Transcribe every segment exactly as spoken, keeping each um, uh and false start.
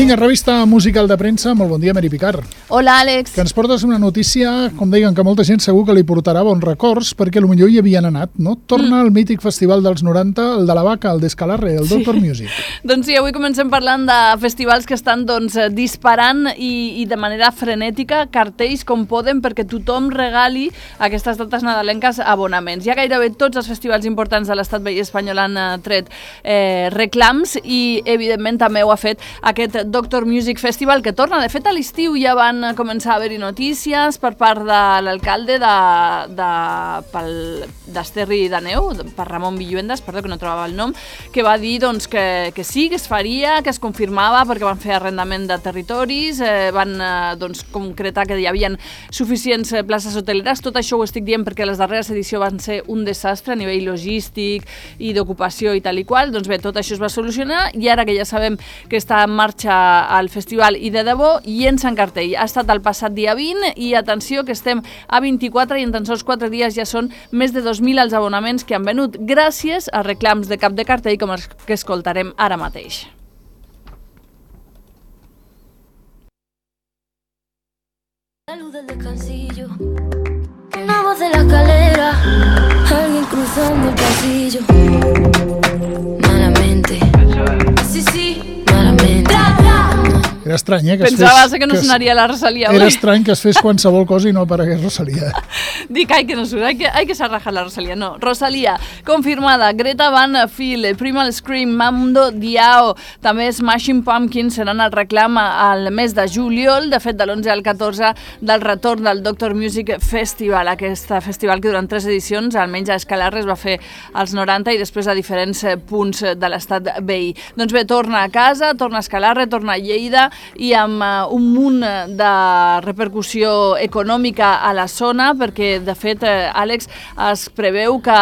Vinga, revista musical de premsa. Molt bon dia, Mary Picard. Hola, Àlex. Que ens portes una notícia, com deien, que molta gent segur que li portarà bons records, perquè potser hi havien anat, no? Torna al mm. mític festival dels noranta, el de la Vaca, el d'Escalarre, el sí. Doctor Music. Doncs sí, avui comencem parlant de festivals que estan doncs, disparant i, i de manera frenètica cartells com poden perquè tothom regali aquestes dates nadalenques abonaments. Ja gairebé tots els festivals importants de l'estat veí espanyol han tret eh, reclams i, evidentment, també ho ha fet aquest Doctor Music Festival, que torna. De fet, a l'estiu ja van començar a haver-hi notícies per part de l'alcalde de, de, pel, d'Esterri d'Àneu, per Ramon Villuendas, perdó, que no trobava el nom, que va dir doncs, que, que sí, que es faria, que es confirmava, perquè van fer arrendament de territoris, eh, van eh, doncs, concretar que hi havia suficients places hoteleres. Tot això ho estic dient perquè les darreres edicions van ser un desastre a nivell logístic i d'ocupació i tal i qual. Doncs bé, tot això es va solucionar i ara que ja sabem que està en marxa al festival i de debò, llença en cartell. Ha estat el passat dia vint i atenció que estem a vint-i-quatre i en tan sols quatre dies ja són més de dos mil els abonaments que han venut gràcies a reclams de cap de cartell com els que escoltarem ara mateix. La luz del descansillo, una voz de la escalera, alguien cruzando el pasillo. Malamente, sí, sí, malamente. Era estrany, eh? Que Pensava es fes, que no que sonaria la Rosalía Era hoy. estrany que es fes qualsevol cosa i no aparegués Rosalía. Dic, ai, que no surt, ai, que, ai, que s'ha rajat la Rosalía. No, Rosalía, confirmada. Greta Van Fleet, Primal Scream, Mambo Diao, també Smashing Pumpkins seran el reclam al mes de juliol, de fet de l'onze al catorze del retorn del Doctor Music Festival, aquest festival que durant tres edicions, almenys a Escalarre, es va fer als noranta i després a diferents punts de l'estat veí. Doncs bé, torna a casa, torna a Escalarre, torna a Lleida, i amb uh, un munt de repercussió econòmica a la zona, perquè, de fet, eh, Àlex, es preveu que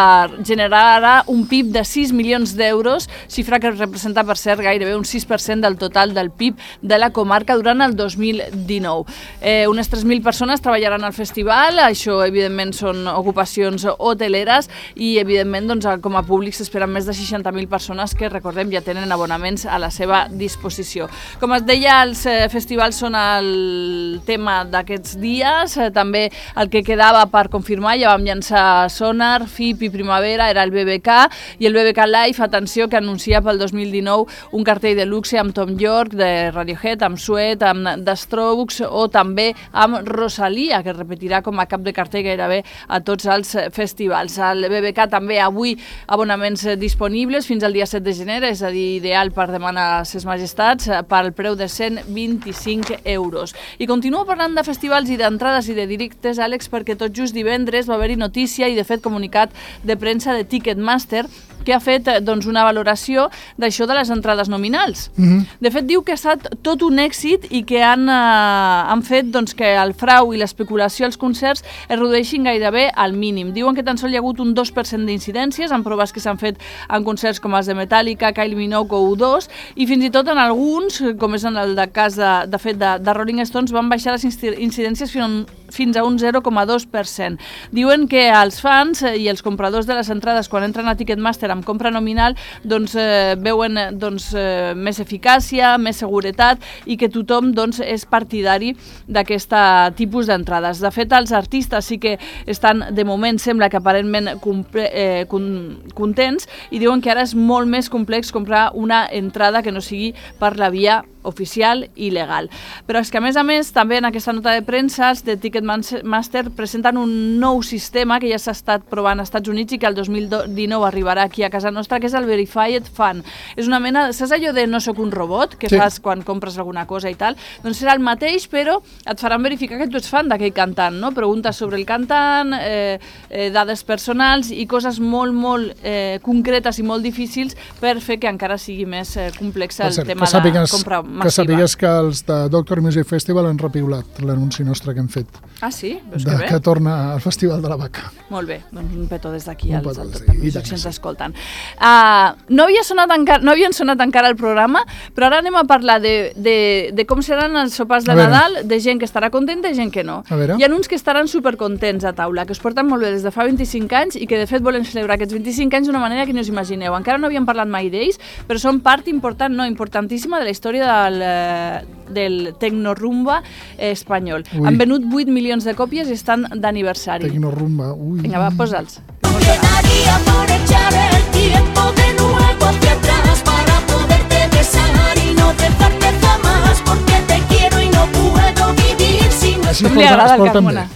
generarà un P I B de sis milions d'euros, xifra que representa, per cert, gairebé un sis per cent del total del P I B de la comarca durant el dos mil dinou. Eh, unes tres mil persones treballaran al festival, això, evidentment, són ocupacions hoteleres i, evidentment, doncs, com a públic s'esperen més de seixanta mil persones que, recordem, ja tenen abonaments a la seva disposició. Com es deia, els eh, festivals són el tema d'aquests dies, eh, també el que quedava per confirmar, ja vam llançar Sonar, F I P i Primavera, era el B B K, i el B B K Live, atenció, que anuncia pel dos mil dinou un cartell de luxe amb Tom York, de Radiohead, amb Sweat, amb The Strokes, o també amb Rosalía, que repetirà com a cap de cartell gairebé a tots els festivals. El B B K també avui abonaments disponibles fins al dia set de gener, és a dir, ideal per demanar a ses majestats, pel preu de cent vint-i-cinc euros. I continuo parlant de festivals i d'entrades i de directes, Àlex, perquè tot just divendres va haver-hi notícia i, de fet, comunicat de premsa de Ticketmaster, que ha fet doncs, una valoració d'això de les entrades nominals. Mm-hmm. De fet, diu que ha estat tot un èxit i que han, eh, han fet doncs, que el frau i l'especulació als concerts es redueixin gairebé al mínim. Diuen que tan sols hi ha hagut un dos per cent d'incidències en proves que s'han fet en concerts com els de Metallica, Kylie Minogue o U dos, i fins i tot en alguns, com és en el de cas de, de fet de, de Rolling Stones, van baixar les incidències fins, fins a un zero coma dos per cent. Diuen que els fans i els compradors de les entrades, quan entren a Ticketmaster amb compra nominal, doncs eh, veuen doncs, eh, més eficàcia, més seguretat i que tothom doncs, és partidari d'aquest tipus d'entrades. De fet, els artistes sí que estan, de moment, sembla que aparentment comple, eh, con, contents i diuen que ara és molt més complex comprar una entrada que no sigui per la via oficial i legal. Però és que, a més a més, també en aquesta nota de premsa els de Ticketmaster presenten un nou sistema que ja s'ha estat provant als Estats Units i que el dos mil dinou arribarà aquí a casa nostra, que és el Verified Fan. És una mena, saps allò de no soc un robot, que sí. fas quan compres alguna cosa i tal? Doncs serà el mateix, però et faran verificar que tu ets fan d'aquell cantant, no? Preguntes sobre el cantant, eh, eh, dades personals i coses molt, molt eh, concretes i molt difícils per fer que encara sigui més eh, complex el cert, tema de la compra massiva. Que sàpigues que els de Doctor Music Festival han repiulat l'anunci nostre que hem fet. Ah, sí? Veus de, que bé? Que torna al Festival de la Vaca. Molt bé, doncs un petó des d'aquí un als petó Doctor Music si ens sí. escolten. Uh, no, havia sonat encara, no havien sonat encara el programa, però ara anem a parlar de, de, de com seran els sopars de Nadal, de gent que estarà contenta i gent que no. Hi ha uns que estaran supercontents a taula, que us porten molt bé des de fa vint-i-cinc anys i que de fet volen celebrar aquests vint-i-cinc anys d'una manera que no us imagineu. Encara no havíem parlat mai d'ells, però són part important, no, importantíssima de la història de del, del tecnorumba espanyol. Ui. Han venut vuit milions de còpies i estan d'aniversari. Tecnorumba, ui. Vinga, va, posa'ls. Quedaría por echar el tiempo de nuevo hacia atrás para poderte besar y no dejarte jamás porque te quiero y no puedo vivir sin... Així es Com li porta- agrada es el porten Carmona. bé.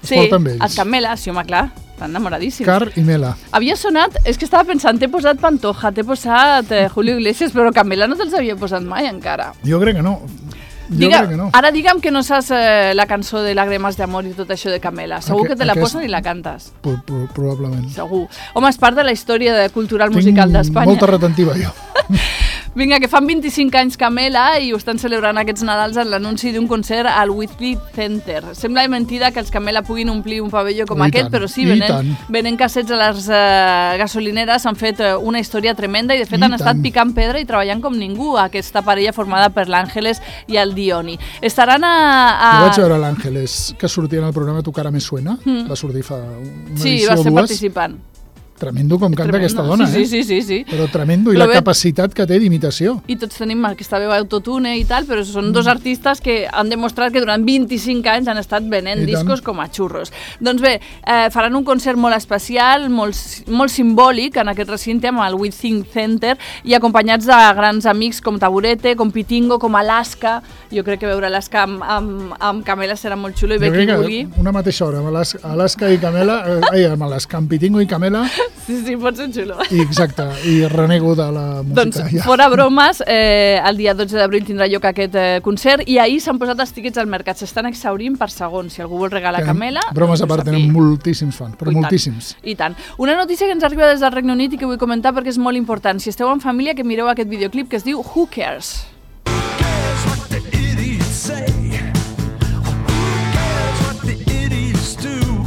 Es Sí, porten bé ells. els Camela, sí, home, clar, estan enamoradíssims. Car i Mela. Havia sonat, és que estava pensant, t'he posat Pantoja, t'he posat eh, Julio Iglesias, però Camela no te'ls havia posat mai encara. Jo crec que no. Jo Diga, crec que no. Ara digue'm que no saps eh, la cançó de Lágrimas de amor i tot això de Camela. Segur Aqu- que te la aquest- posen i la cantes. Pro- pro- Probablement. Segur. Home, és part de la història de cultural musical Tinc d'Espanya. molta retentiva, jo. Vinga, que fan vint-i-cinc anys Camela i ho estan celebrant aquests Nadals en l'anunci d'un concert al Whitby Center. Sembla mentida que els Camela puguin omplir un pavelló com I aquest, tant, però sí, i venen, tant. venen cassets a les uh, gasolineres, han fet uh, una història tremenda i de fet I han estat tant. picant pedra i treballant com ningú, aquesta parella formada per l'Àngeles i el Dioni. Estaran a... a... Jo vaig veure l'Àngeles que sortia en el programa Tu cara me suena, Mm. va sortir fa una Sí, edició va ser o dues. participant. Tremendo com canta Tremendo. aquesta dona, sí, eh? Sí, sí, sí, sí. Però tremendo, i Però la bé- capacitat que té d'imitació. I tots tenim aquesta veu autotune i tal, però són dos artistes que han demostrat que durant vint-i-cinc anys han estat venent I tant. discos com a xurros. Doncs bé, eh, faran un concert molt especial, molt, molt simbòlic en aquest recinte amb el Whitby Center i acompanyats de grans amics com Taburete, com Pitingo, com Alaska. Jo crec que veure Alaska amb, amb, amb Camela serà molt xulo i bé Jo qui crec vulgui. que una mateixa hora, amb Alaska, Alaska i Camela, eh, ai, amb Alaska, amb Pitingo i Camela, Sí, sí, pot ser xulo. i exacte, i renego de la música. Doncs, ja. fora bromes, eh, el dia dotze d'abril tindrà lloc aquest eh, concert i ahir s'han posat els tiquets al mercat. S'estan exhaurint per segon. Si algú vol regalar Que, Camela... bromes a doncs part, aquí. tenen moltíssims fans, però I tant, moltíssims. I tant. Una notícia que ens arriba des del Regne Unit i que vull comentar perquè és molt important. Si esteu en família, que mireu aquest videoclip que es diu Who Cares? What the idiots say? Who cares what the idiots do?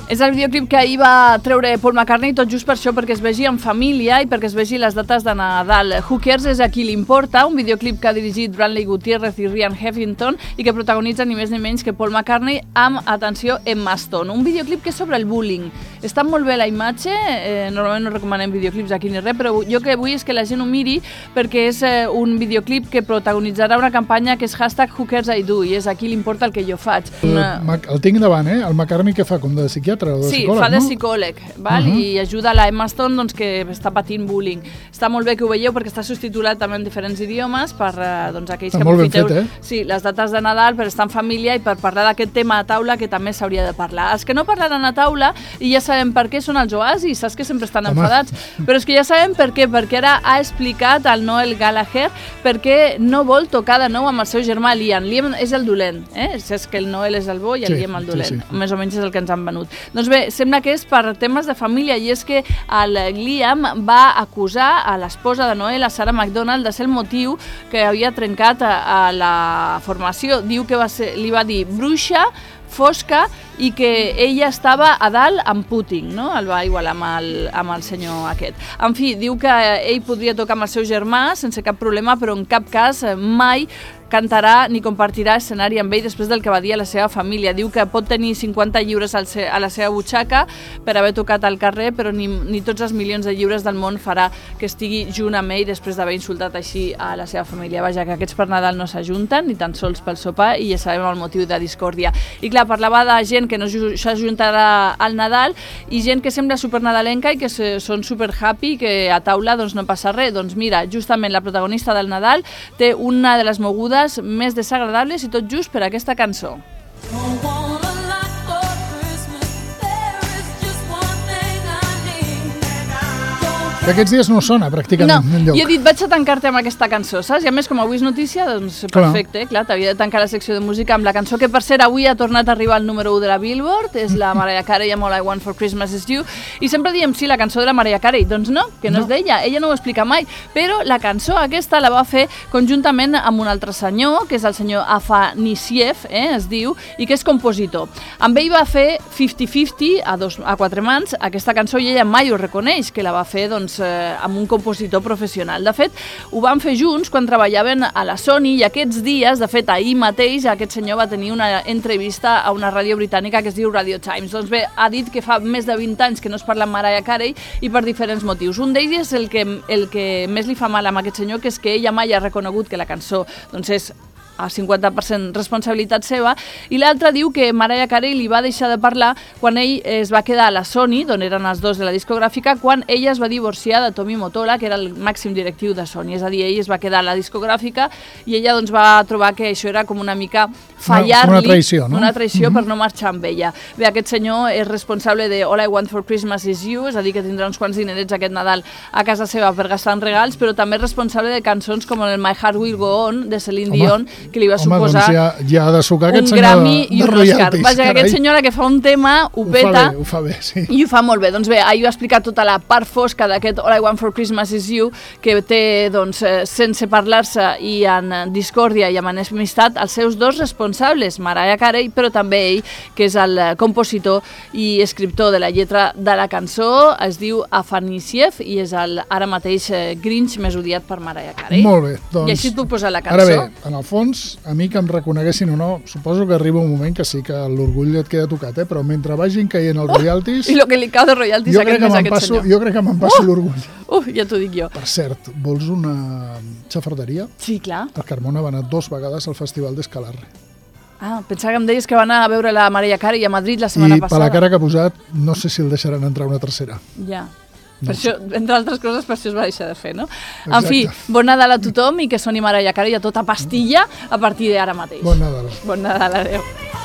És el videoclip que ahir va treure Paul McCartney, tot just per això, perquè es vegi en família i perquè es vegi les dates de Nadal. Who Cares és a qui li importa, un videoclip que ha dirigit Brantley Gutierrez i Ryan Heffington i que protagonitza ni més ni menys que Paul McCartney amb, atenció, Emma Stone. Un videoclip que és sobre el bullying. Està molt bé la imatge, eh, normalment no recomanem videoclips aquí ni res, però jo que vull és que la gent ho miri perquè és eh, un videoclip que protagonitzarà una campanya que és hashtag Who Cares I Do i és a qui li importa el que jo faig. Una... El, Mac- el tinc davant, eh? El McCartney que fa com de psiquiatre o de Sí, psicòleg, fa de no? psicòleg, val? Uh -huh. I ajuda la Emma Stone doncs, que està patint bullying. Està molt bé que ho veieu perquè està subtitulat també en diferents idiomes per eh, doncs, aquells Està que molt ben aprofiteu fet, eh? sí, les dates de Nadal per estar en família i per parlar d'aquest tema a taula que també s'hauria de parlar. Els que no parlaran a taula, i ja sabem per què, són els oasis, saps que sempre estan Home. enfadats, però és que ja sabem per què, perquè ara ha explicat el Noel Gallagher perquè no vol tocar de nou amb el seu germà Liam. Liam és el dolent, eh? És que el Noel és el bo i el Sí, Liam el sí, dolent. sí. Més o menys és el que ens han venut. Doncs bé, sembla que és per temes de família i és que el Liam va acusar a l'esposa de Noel, a Sarah McDonald, de ser el motiu que havia trencat a, a la formació. Diu que va ser, li va dir bruixa, fosca i que ella estava a dalt amb Putin, no? El va igualar amb el, amb el senyor aquest. En fi, diu que ell podria tocar amb el seu germà sense cap problema, però en cap cas eh, mai cantarà ni compartirà escenari amb ell després del que va dir a la seva família. Diu que pot tenir cinquanta lliures al se a la seva butxaca per haver tocat al carrer, però ni, ni tots els milions de lliures del món farà que estigui junt amb ell després d'haver insultat així a la seva família. Vaja, que aquests per Nadal no s'ajunten, ni tan sols pel sopar, i ja sabem el motiu de discòrdia. I clar, parlava de gent que no s'ajuntarà al Nadal i gent que sembla supernadalenca i que se, són super happy, que a taula doncs, no passa res. Doncs mira, justament la protagonista del Nadal té una de les mogudes més desagradables i tot just per aquesta cançó. Que aquests dies no sona pràcticament No, enlloc. i he dit, vaig a tancar-te amb aquesta cançó, saps? I a més, com avui és notícia, doncs perfecte, clar, clar t'havia de tancar la secció de música amb la cançó que, per cert, avui ha tornat a arribar al número u de la Billboard, és la Mariah Carey amb All I Want for Christmas Is You, i sempre diem, sí, la cançó de la Mariah Carey, doncs no, que no, No. és d'ella, ella no ho explica mai, però la cançó aquesta la va fer conjuntament amb un altre senyor, que és el senyor Afanisiev, eh, es diu, i que és compositor. Amb ell va fer cinquanta cinquanta, a, dos, a quatre mans, aquesta cançó, i ella mai ho reconeix, que la va fer, doncs, doncs, eh, amb un compositor professional. De fet, ho van fer junts quan treballaven a la Sony i aquests dies, de fet, ahir mateix, aquest senyor va tenir una entrevista a una ràdio britànica que es diu Radio Times. Doncs bé, ha dit que fa més de vint anys que no es parla amb Mariah Carey i per diferents motius. Un d'ells és el que, el que més li fa mal amb aquest senyor, que és que ella mai ha reconegut que la cançó doncs, és a cinquanta per cent responsabilitat seva, i l'altre diu que Mariah Carey li va deixar de parlar quan ell es va quedar a la Sony, d'on eren els dos de la discogràfica, quan ella es va divorciar de Tommy Mottola, que era el màxim directiu de Sony. És a dir, ell es va quedar a la discogràfica i ella doncs, va trobar que això era com una mica fallar-li, una, una traïció, no? una traïció Mm-hmm. per no marxar amb ella. Bé, aquest senyor és responsable de All I Want for Christmas is You, és a dir, que tindrà uns quants dinerets aquest Nadal a casa seva per gastar en regals, però també és responsable de cançons com el My Heart Will Go On, de Celine Home. Dion, que li va Home, suposar doncs ja, ja ha de sucar aquest un senyor Grammy de, i de un Oscar. royalties. Vaja, que aquest senyor que fa un tema ho ho fa peta bé, ho fa bé, sí. i ho fa molt bé. Doncs bé, ahir va explicar tota la part fosca d'aquest All I Want for Christmas is You, que té, doncs, eh, sense parlar-se i en discòrdia i amb enemistat, els seus dos responsables, Mariah Carey, però també ell, que és el compositor i escriptor de la lletra de la cançó, es diu Afanasiev i és el ara mateix eh, Grinch més odiat per Mariah Carey. Molt bé, doncs... I així et puc posar la Ara cançó. bé, en el fons, a mi que em reconeguessin o no, suposo que arriba un moment que sí que l'orgull et queda tocat, eh? Però mentre vagin caient els royalties... I el que li cau de royalties jo a crec aquest que mes a me'n aquest passo, senyor. jo crec que me'n passo l'orgull. Uf, ja t'ho dic jo. Per cert, vols una xafarderia? Sí, clar. El Carmona va anar dos vegades al Festival d'Escalarre. Ah, pensava que em deies que va anar a veure la Mariah Carey a Madrid la setmana I per passada. la cara que ha posat, no sé si el deixaran entrar una tercera. Ja. No Per això, entre altres coses, per això es va deixar de fer, no? En Exacte. fi, bon Nadal a tothom i que soni Mariah Carey a tota pastilla a partir d'ara mateix. Bon Nadal. Bon Nadal, adeu.